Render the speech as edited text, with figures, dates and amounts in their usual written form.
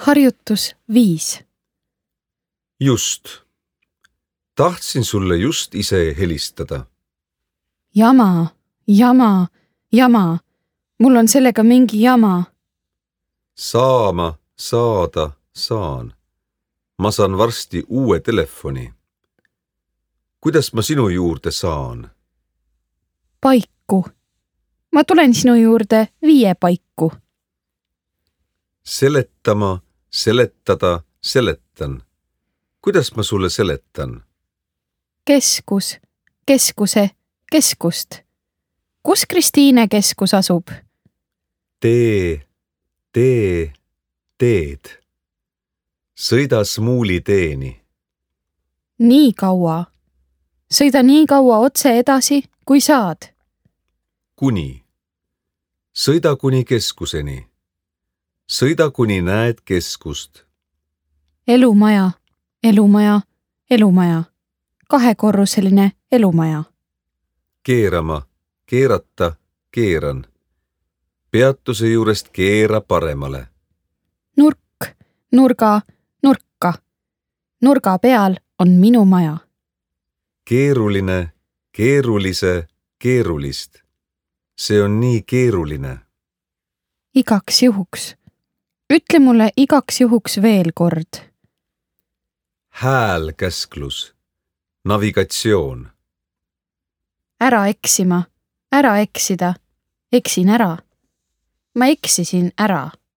Harjutus 5. Just. Tahtsin sulle just ise helistada. Jama. Mul on sellega mingi jama. Saama, saada, saan. Ma saan varsti uue telefoni. Kuidas ma sinu juurde saan? Paiku. Ma tulen sinu juurde 5 paiku. Seletama, seletada, seletan. Kuidas ma sulle seletan? Keskus, keskuse, keskust. Kus Kristiine keskus asub? Tee, teed. Sõida Smuuli teeni. Nii kaua. Sõida nii kaua otse edasi, kui saad. Kuni. Sõida kuni keskuseni. Sõida kuni näed keskust. Elumaja. 2-korruseline elumaja. Keerama, keerata, keeran. Peatuse juurest keera paremale. Nurk, nurka. Nurga peal on minu maja. Keeruline, keerulise, keerulist. See on nii keeruline. Igaks juhuks. Ütle mulle igaks juhuks veel kord. Häälkäsklus. Navigatsioon. Ära eksima, ära eksida. Eksin ära. Ma eksisin ära.